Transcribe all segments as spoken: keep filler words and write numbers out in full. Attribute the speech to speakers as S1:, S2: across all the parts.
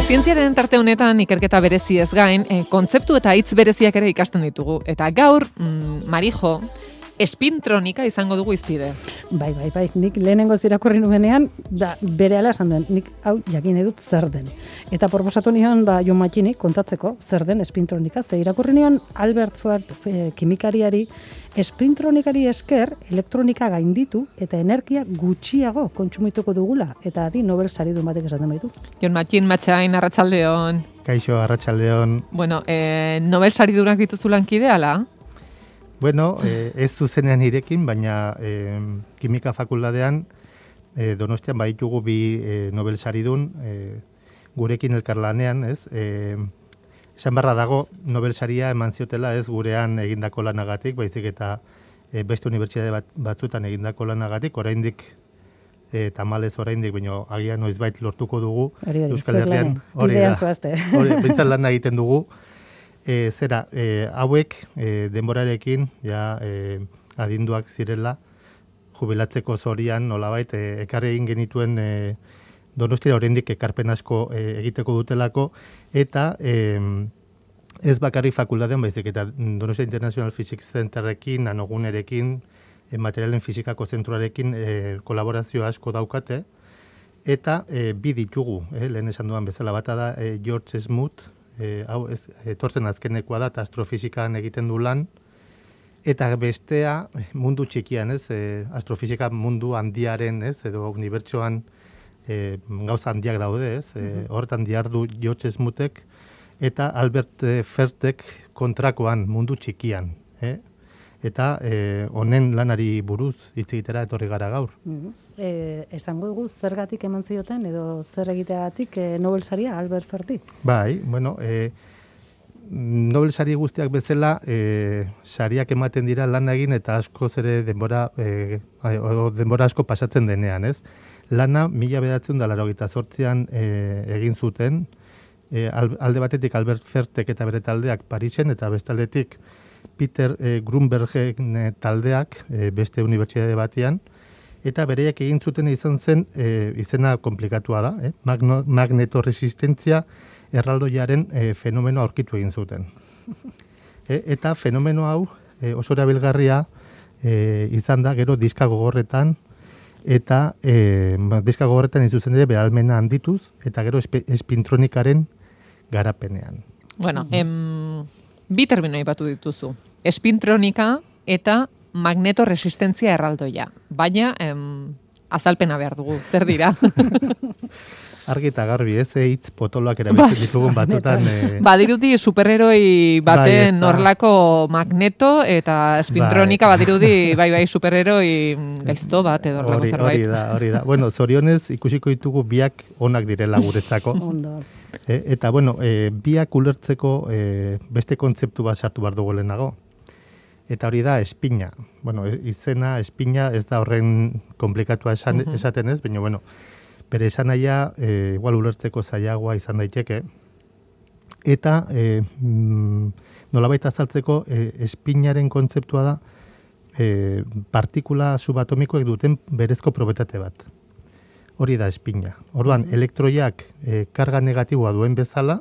S1: zientziaren tarte honetan ikerketa bereziez gain, e, kontzeptu eta hitz bereziak ere ikasten ditugu. Eta gaur, mm, Marijo, espintronika izango dugu izpide.
S2: Bai, bai, bai, nik lehenengo irakurri nuenean, da, bere ala esan duen, nik hau jakin edut zer den. Eta proposatu nion, ba, Jon Mattinik kontatzeko zer den espintronika, ze irakurri nion Albert Ford e, kimikariari, espintronikari esker elektronika gainditu eta energia gutxiago kontsumituko dugula, eta adi Nobel saridun batek esaten baitu.
S1: Jon Mattin, Matxain, arratsaldeon.
S3: Kaixo, arratsaldeon.
S1: Bueno, eh, Nobel saridunak dituzu lankide, ala?
S3: Bueno, eh, ez zuzenean irekin, baina eh, kimika fakultatean eh, Donostian baitugu bi eh, Nobel saridun eh, gurekin elkarlanean, ez? Eh, esan barra dago Nobel saria eman ziotela ez gurean egindako lanagatik, baizik eta eh, beste unibertsitate bat, batzutan egindako lanagatik, oraindik eh, tamalez oraindik, baina agian noizbait lortuko dugu Euskal Herrian. Hori da. Hori, bintzat lan egiten dugu. E, zera, e, hauek e, denborarekin ja, e, adinduak zirela jubilatzeko zorian nolabait e, ekarri egin genituen e, Donostira oraindik ekarpen asko e, egiteko dutelako eta e, ez bakarri fakultatean baizik eta Donostia International Physics Centerrekin, nanogunerekin, e, materialen fizikako zentruarekin e, kolaborazio asko daukate eta e, bi ditugu, e, lehen esan duan bezala bata da e, George Smoot, E, hau ez, etortzen azkenekoa da, eta astrofizikan egiten du lan, eta bestea mundu txikian, ez, e, astrofizika mundu handiaren, ez, edo unibertsoan e, gauza handiak daude, ez, e, horretan diardu George Smootek, eta Albert Fertek kontrakoan mundu txikian, eh? Eta honen e, lanari buruz hitz egitera etorri gara gaur.
S2: Mm-hmm. E, esango dugu zergatik eman zioten edo zer egiteagatik e, Nobel saria Albert Ferti?
S3: Bai, bueno, e, Nobel sari guztiak bezala e, sariak ematen dira lan egin eta askoz ere denbora e, o, denbora asko pasatzen denean, ez? Lana mila bederatziehun eta laurogeita zortzian e, egin zuten, e, alde batetik Albert Fertek eta bere taldeak Parisen eta bestaldetik Peter e, Grunbergen e, taldeak e, beste unibertsitate batean, eta bereiak egin zuten izan zen e, izena komplikatua da, eh? Magno, magnetoresistenzia erraldoiaren e, fenomeno aurkitu egin zuten. e, eta fenomeno hau e, oso erabilgarria e, izan da gero diska gogorretan eta e, diska gogorretan izuzen ere behalmena handituz eta gero espe, espintronikaren garapenean.
S1: Bueno, em, bi termino aipatu dituzu. Espintronika eta magnetoresistenzia erraldoia. Baina, em, azalpena behar dugu, zer dira?
S3: Argi eta garbi, ez hitz potoloak erabiltzen ditugun batzutan. E...
S1: Badirudi superheroi baten bai, horlako magneto eta espintronika bai. Badirudi bai bai superheroi gaizto bat edo horlako zerbait.
S3: Hori da, hori da. Bueno, zorionez ikusiko ditugu biak onak direla guretzako. e, eta bueno, e, biak ulertzeko e, beste kontzeptu bat sartu behar dugu lehenago. Eta hori da espina. Bueno, izena espina ez da horren komplikatua esan, uh-huh. esaten ez, baina bueno, bere esan naia e, igual ulertzeko zailagoa izan daiteke. Eta e, mm, nolabait azaltzeko e, espinaren kontzeptua da e, partikula subatomikoek duten berezko probetate bat. Hori da espina. Orduan, uh-huh. elektroiak e, karga negatiboa duen bezala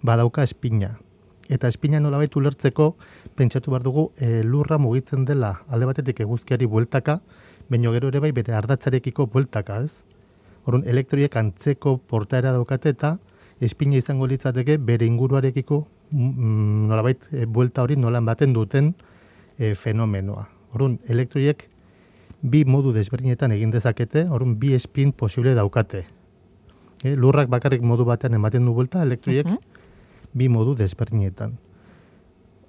S3: badauka espina. Eta espina nolabait ulertzeko pentsatu behar dugu e, lurra mugitzen dela alde batetik eguzkiari bueltaka, baina gero ere bai bere ardatzarekiko bueltaka, ez? Orduan, elektroiek antzeko portaera daukate eta espina izango litzateke bere inguruarekiko mm, nolabait e, buelta hori nolan baten duten e, fenomenoa. Orduan, elektroiek bi modu desberdinetan egin dezakete, orduan bi espin posible daukate. E, lurrak bakarrik modu batean ematen du buelta, elektroiek uh-huh. bi modu desberdinetan.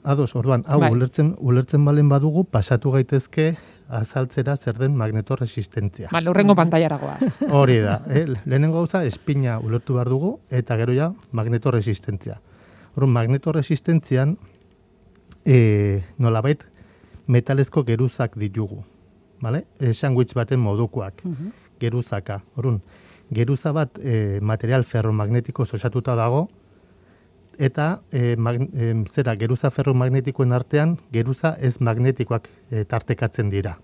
S3: Ados, orduan, hau bai. ulertzen, ulertzen balen badugu, pasatu gaitezke azaltzera zer den magnetoresistenzia.
S1: Ba, lurrengo pantailara goaz.
S3: Hori da, eh? Lehenengo gauza espina ulertu behar dugu, eta gero ja magnetoresistenzia. Orduan, magnetoresistentzian e, nolabait metalezko geruzak ditugu. Vale? E, sandwich baten modukoak, uh-huh. geruzaka. Orduan, geruza bat e, material ferromagnetiko osatuta dago, eta e, mag, e, zera geruza ferromagnetikoen artean geruza ez magnetikoak e, tartekatzen dira.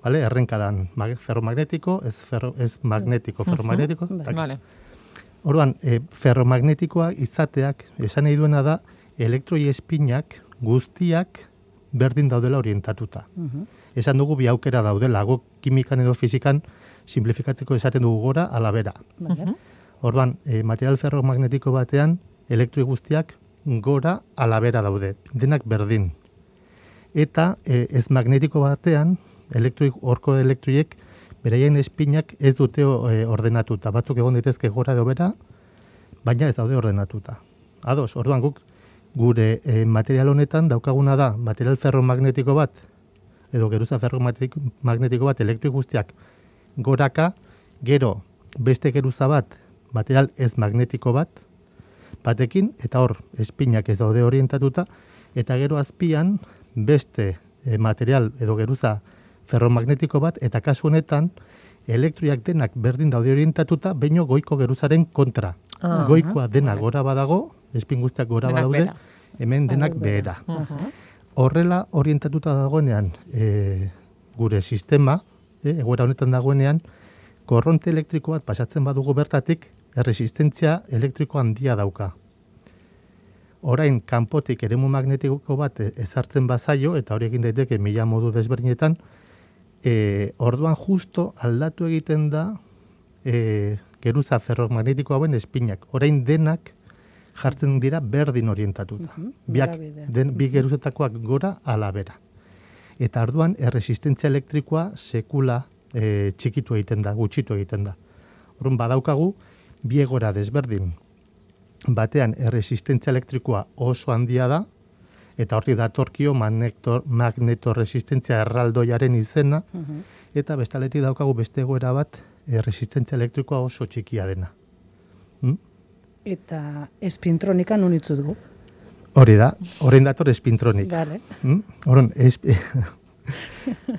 S3: Vale? Errenkadan mag, ferromagnetiko, ez, ferro, ez magnetiko, ferromagnetiko.
S1: Uh-huh. Vale.
S3: Orduan, e, ferromagnetikoa izateak, esan nahi duena da, elektroi espinak guztiak berdin daudela orientatuta.
S2: Mhm.
S3: Esan dugu bi aukera daudela, guk kimikan edo fizikan simplifikatzeko esaten dugu gora ala bera.
S2: Vale.
S3: Orduan, e, material ferromagnetiko batean, elektroi guztiak gora ala bera daude, denak berdin. Eta e, ez magnetiko batean, elektroi, orko elektroiek, beraien espinak ez dute e, ordenatuta. Batzuk egon daitezke gora edo bera, baina ez daude ordenatuta. Ados, orduan guk gure e, material honetan daukaguna da material ferromagnetiko bat, edo geruza ferromagnetiko bat elektroi guztiak goraka, gero beste geruza bat, material ez magnetiko bat, batekin, eta hor, espinak ez daude orientatuta, eta gero azpian beste e, material edo geruza ferromagnetiko bat, eta kasu honetan, elektroiak denak berdin daude orientatuta, baino goiko geruzaren kontra.
S1: Ah,
S3: Goikoa dena
S1: vale.
S3: gora badago, espin guztiak gora
S1: Denak
S3: badaude,
S1: behera.
S3: hemen denak
S2: Denak
S3: behera.
S2: behera.
S1: Uh-huh.
S3: Horrela orientatuta dagoenean e, gure sistema, e, egoera honetan dagoenean, korronte elektriko bat pasatzen badugu bertatik, erresistentzia elektriko handia dauka. Orain, kanpotik eremu magnetiko bat ezartzen bazaio, eta hori egin daiteke mila modu desberdinetan, e, orduan justo aldatu egiten da e, geruza ferromagnetiko hauen espinak. Orain denak jartzen dira berdin orientatuta.
S2: Mhm,
S3: Biak,
S2: norabidea.
S3: den, bi geruzetakoak gora ala bera. Eta orduan erresistentzia elektrikoa sekula e, txikitu egiten da, gutxitu egiten da. Orduan badaukagu bi egora desberdin. Batean erresistentzia elektrikoa oso handia da, eta horri datorkio magnetor, magnetorresistentzia erraldoiaren izena,
S2: Mhm.
S3: eta bestaletik daukagu beste egoera bat erresistentzia elektrikoa oso txikia dena. Hm?
S2: Eta espintronika nun itzu dugu.
S3: Hori da, orain dator espintronik.
S2: Gale.
S3: Hm? Horon, esp...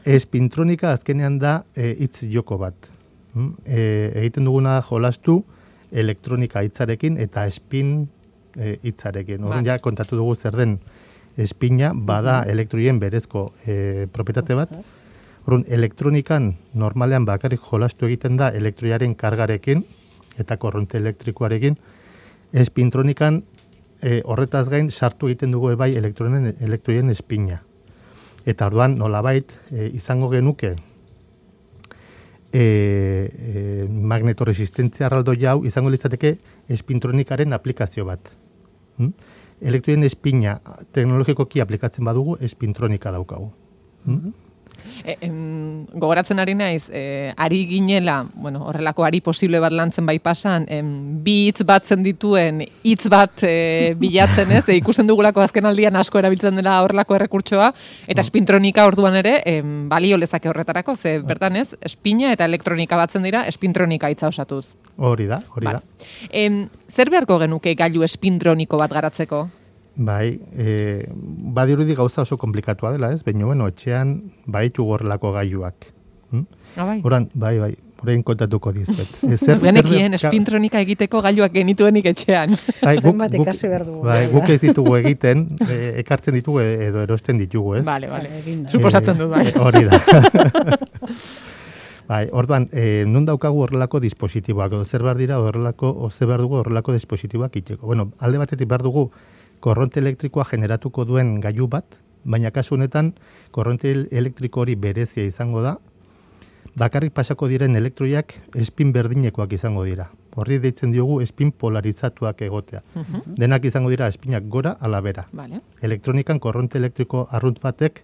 S3: espintronika azkenean da e, hitz joko bat. Hm? E, egiten duguna jolastu elektronika hitzarekin eta espin e, hitzarekin. Horren
S1: Ba.
S3: ja kontatu dugu zer den espina, bada elektroien berezko e, propietate bat. Horren, elektronikan normalean bakarrik jolastu egiten da elektroiaren kargarekin eta korronte elektrikoarekin. Espintronikan e, horretaz gain sartu egiten dugu bai elektronen elektroien espina. Eta orduan nolabait e, izango genuke e, e, magnetoresistentzia erraldoi hau izango litzateke espintronikaren aplikazio bat. Hm? Elektroien espina teknologikoki aplikatzen badugu espintronika daukagu. Hm?
S1: E, em, gogoratzen ari naiz, e, ari ginela, bueno, horrelako ari posible bat lantzen bai pasan, em, bi hitz batzen dituen hitz bat e, bilatzen ez, e, ikusten dugulako azken aldian asko erabiltzen dela horrelako errekurtsoa, eta espintronika orduan ere, em, balio lezake horretarako, ze bertan ez, espina eta elektronika batzen dira, espintronika hitza osatuz.
S3: Hori da, hori
S1: Vale.
S3: da.
S1: Em, zer beharko genuke gailu espintroniko bat garatzeko?
S3: Bai, e, badirudi gauza oso komplikatua dela, ez? Baina, bueno, etxean baitu horrelako gailuak. Hm?
S1: Ah, bai.
S3: Horan, bai, bai, orain kontatuko dizuet. E, zer-
S1: Genekien
S3: zer-
S1: espintronika egiteko gailuak genituenik etxean.
S3: Bai, guk-
S2: Zenbat
S3: guk-
S2: ikasi behar dugu.
S3: Bai, guk ez ditugu egiten, e, ekartzen ditugu e- edo erosten ditugu, ez?
S1: Vale, vale.
S2: Vale, eginda.
S1: Suposatzen dut, bai.
S3: Eh, hori da. Bai, orduan, e, nun daukagu horrelako dispositiboak, edo zer behar dira horrelako, o zer behar dugu horrelako dispositiboak itxeko. Bueno, alde batetik behar dugu korronte elektrikoa generatuko duen gailu bat, baina kasu honetan korronte elektriko hori berezia izango da, bakarrik pasako diren elektroiak espin berdinekoak izango dira. Horri deitzen diogu espin polarizatuak egotea. Denak izango dira espinak gora ala bera.
S1: Vale.
S3: Elektronikan korronte elektriko arrunt batek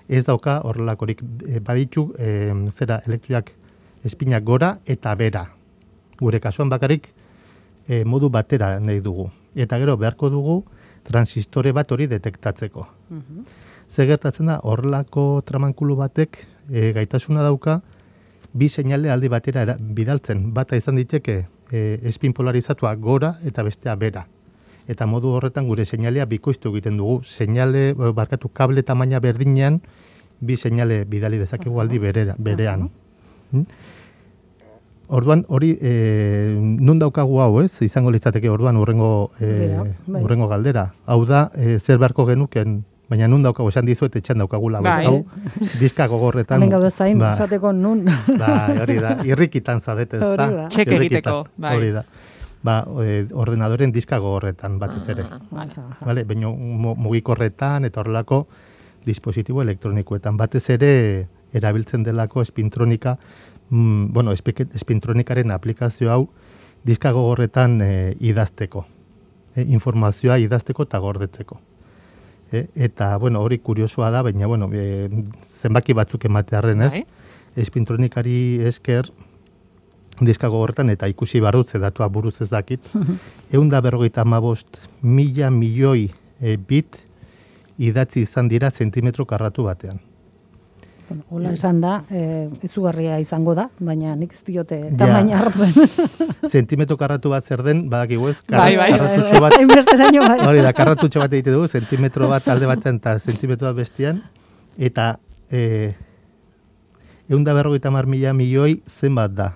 S3: ez dauka horrelakorik e, baditu e, zera elektroiak espinak gora eta bera. Gure kasuan bakarrik e, modu batera nahi dugu. Eta gero beharko dugu transistore bat hori detektatzeko.
S2: Mhm.
S3: Ze gertatzen da horrelako tramankulu batek e, gaitasuna dauka bi seinale aldi batera era, bidaltzen. Bata izan diteke e, espin polarizatua gora eta bestea bera. Eta modu horretan gure seinalea bikoiztu egiten dugu. Seinale, eh, barkatu kable tamaina berdinean, bi seinale bidali dezakegu aldi berera, berean. Mm? Orduan, hori, e, nun daukagu hau, ez? Izango litzateke orduan urrengo, e,
S2: Hori da, bai.
S3: urrengo galdera. Hau da, e, zer beharko genuken, baina nun daukagu, esan dizuet etxan daukagula.
S1: Bai.
S3: Hau, diska gogorretan.
S2: Hemen gaude zain,
S3: ba,
S2: esateko nun.
S3: Bai, hori da, irrikitan zadet ez da.
S2: Hori da.
S1: Txek
S3: Irrikitan,
S1: egiteko, bai.
S3: Hori da. ba, e, ordenadoren diska gogorretan batez ere.
S1: Ah, vale.
S3: Vale, baina mugikorretan eta horrelako dispositibo elektronikoetan batez ere erabiltzen delako espintronika, mm, bueno, espintronikaren aplikazio hau diska gogorretan e, idazteko, e, informazioa idazteko eta gordetzeko. E, eta, bueno, hori kuriosoa da, baina, bueno, e, zenbaki batzuk ematearren, ez?
S1: Bai.
S3: Espintronikari esker diska gogorretan eta ikusi barrutze datua buruz ez dakit, ehun da berrogeita hamabost mila milioi e, bit idatzi izan dira zentimetro karratu batean.
S2: Bueno, hola esan da, e, izugarria izango da, baina nik ez diote tamaina hartzen.
S3: Zentimetro karratu bat zer den, badakigu ez,
S1: Bai, bai.
S3: karratutxo bat,
S2: Hainbesteraino bai.
S3: hori da, karratutxo bat egite dugu, zentimetro bat alde batean eta zentimetro bat bestian, eta e, ehun da berrogeita hamar mila milioi zenbat da.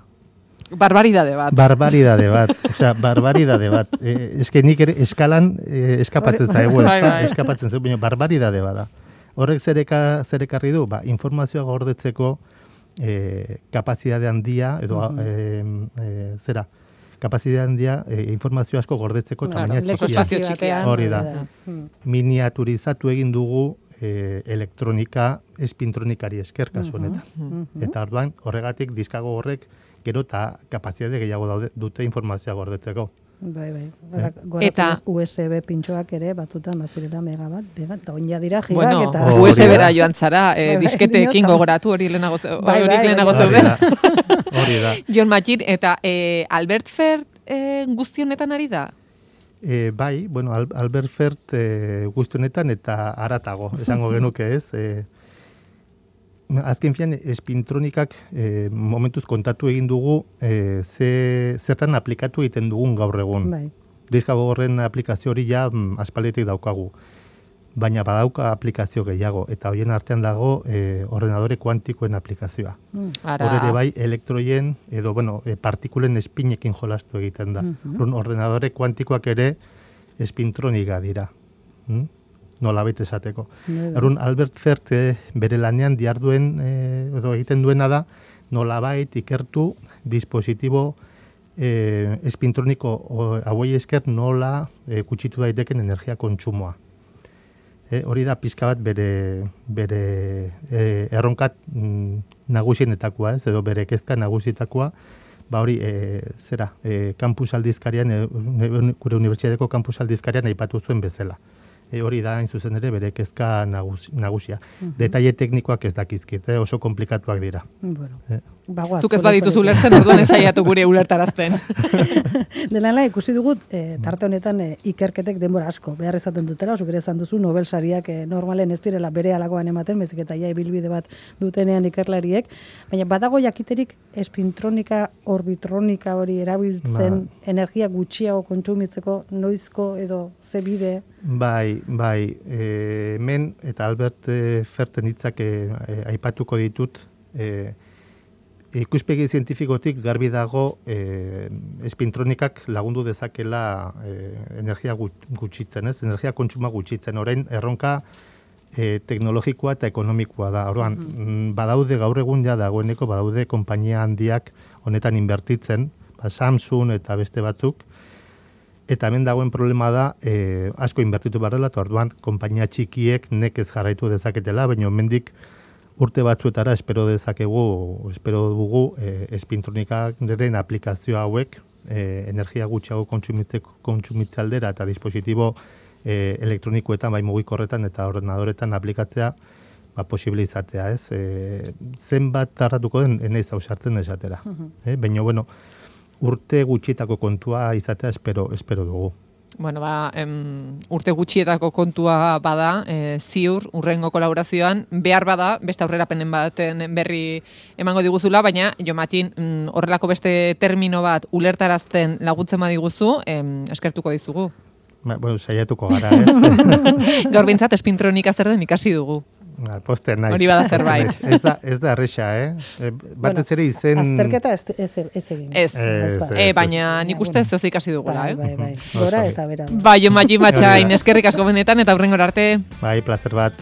S1: Barbaridade bat.
S3: Barbaridade bat, osea, barbaridade bat. E, eske nik ere eskalan e, eskapatzen zaigu,
S1: Bai,
S3: ezta?
S1: bai.
S3: Eskapatzen zaigu, baina barbaridade bada. Horrek zereka, zerekarri du, ba, informazioa gordetzeko e, kapazidade handia, edo e, e, zera, kapazidade handia e, informazio asko gordetzeko
S1: Claro,
S3: tamaina
S1: leko
S3: txikia.
S1: espazio txikia.
S3: Hori da.
S2: Mm.
S3: Miniaturizatu egin dugu e, elektronika espintronikari esker kasu honetan.
S2: Mhm.
S3: Eta orduan, horregatik diskago horrek gero eta kapazidade gehiago daude, dute informazioa gordetzeko.
S2: Bai, bai.
S3: Eh?
S2: Goratzen U S B pintxoak ere batzutan bazirela megabat, megabat, eta oin jadira gigak
S1: Bueno,
S2: eta...
S3: Oh,
S1: U S B-ra
S3: hori da.
S1: joan zara, eh,
S2: Bai, bai,
S1: disketeekin
S2: diotan.
S1: gogoratu hori lehenago ze-
S2: Bai,
S1: hori
S2: bai,
S1: lehenago
S2: bai.
S3: Hori
S1: zeuden.
S3: da. Hori da.
S1: Jon Matxin, eta eh, Albert Fert eh, guzti honetan ari da?
S3: E, bai, bueno, Al- Albert Fert e, guzti honetan eta aratago, esango genuke ez. E, azken fian, espintronikak e, momentuz kontatu egin dugu e, ze, zertan aplikatu egiten dugun gaur egun.
S2: Bai.
S3: Diska gogorren aplikazio hori ja mm, aspalditik daukagu. Baina badauka aplikazio gehiago, eta horien artean dago e, ordenadore kuantikoen aplikazioa.
S2: Mm.
S1: Ara.
S3: Hor ere bai, elektroien, edo, bueno, e, partikulen espinekin jolastu egiten da.
S2: Mhm.
S3: Orduan, ordenadore kuantikoak ere espintronika dira. Mm? Nola baita esateko.
S2: Bai, bai.
S3: Orduan, Albert Fert e, bere lanean diharduen, e, edo egiten duena da, nolabait ikertu dispositibo e, espintroniko o- hauei esker nola e, kutsitu daiteken energia kontsumoa. E, hori da pizka bat bere, bere e, erronkat mm, nagusienetakoa, ez, edo bere kezka nagusitakoa, ba hori, e, zera, e, kampus aldizkarian, e, uni- gure unibertsitateko kampus aldizkarian aipatu zuen bezala. E, hori da, hain zuzen ere, bere kezka nagus, nagusia. Detaile teknikoak ez dakizkit, eh, oso komplikatuak dira.
S2: Bueno,
S3: Eh.
S2: bagoaz.
S1: Zuk ez
S2: poliki,
S1: badituzu
S2: poliki.
S1: ulertzen, orduan ez saiatu gure ulertarazten.
S2: Dela ikusi dugut, e, tarte honetan e, ikerketek denbora asko behar izaten dutela, zuk ere esan duzu Nobel sariak e, normalen ez direla bere alakoan ematen, bezik eta ja ibilbide bat dutenean ikerlariek, baina badago jakiterik espintronika, orbitronika hori erabiltzen energia gutxiago kontsumitzeko noizko edo ze bide?
S3: Bai, bai, e, hemen eta Albert e, Ferten hitzak e, e, aipatuko ditut, e, ikuspegi zientifikotik garbi dago e, espintronikak lagundu dezakela e, energia gut- gutxitzen, ez? Energia kontsuma gutxitzen. Orain erronka e, teknologikoa eta ekonomikoa da. Orduan, mm, badaude gaur egun ja dagoeneko badaude konpainia handiak honetan inbertitzen, ba, Samsung eta beste batzuk. Eta hemen dagoen problema da, e, asko inbertitu behar dela, eta orduan, konpainia txikiek nekez jarraitu dezaketela, baina hemendik urte batzuetara espero dezakegu, espero dugu, e, espintronikaren aplikazio hauek, e, energia gutxiago kontsumitzeko kontsumitze aldera eta dispositibo e, elektronikoetan, bai mugikorretan eta ordenadoretan aplikatzea, ba, posible izatea, ez? E, zenbat tardatuko den, enez hau sartzen esatera. E, baina, bueno, urte gutxietako kontua izatea espero, espero dugu.
S1: Bueno, ba, em, urte gutxietako kontua bada, e, ziur, urrengo kolaborazioan, behar bada, beste aurrerapenen baten berri emango diguzula, baina, Jo Matxin, mm, horrelako beste termino bat ulertarazten laguntzen badiguzu, em, eskertuko dizugu.
S3: Ba, bueno, saiatuko gara, ez?
S1: Gaur bintzat, espintronika zer den ikasi dugu.
S3: Ba, poster naiz.
S1: Hori bada zerbait.
S3: Ez da, ez da erresa, eh? E, batez ere izen...
S2: Azterketa ez, ez, ez egin.
S1: Ez,
S3: Ez,
S2: ba.
S1: e,
S3: ez,
S1: baina
S2: ez.
S1: nik uste zoz ikasi dugula,
S2: Bai,
S1: eh?
S2: bai, bai.
S3: Oso
S2: Gora
S3: ondo.
S2: eta bera.
S1: Ba, Jo Matxin Matxain,
S3: Hori da.
S1: eskerrik asko benetan eta hurrengora arte.
S3: Bai, placer bat.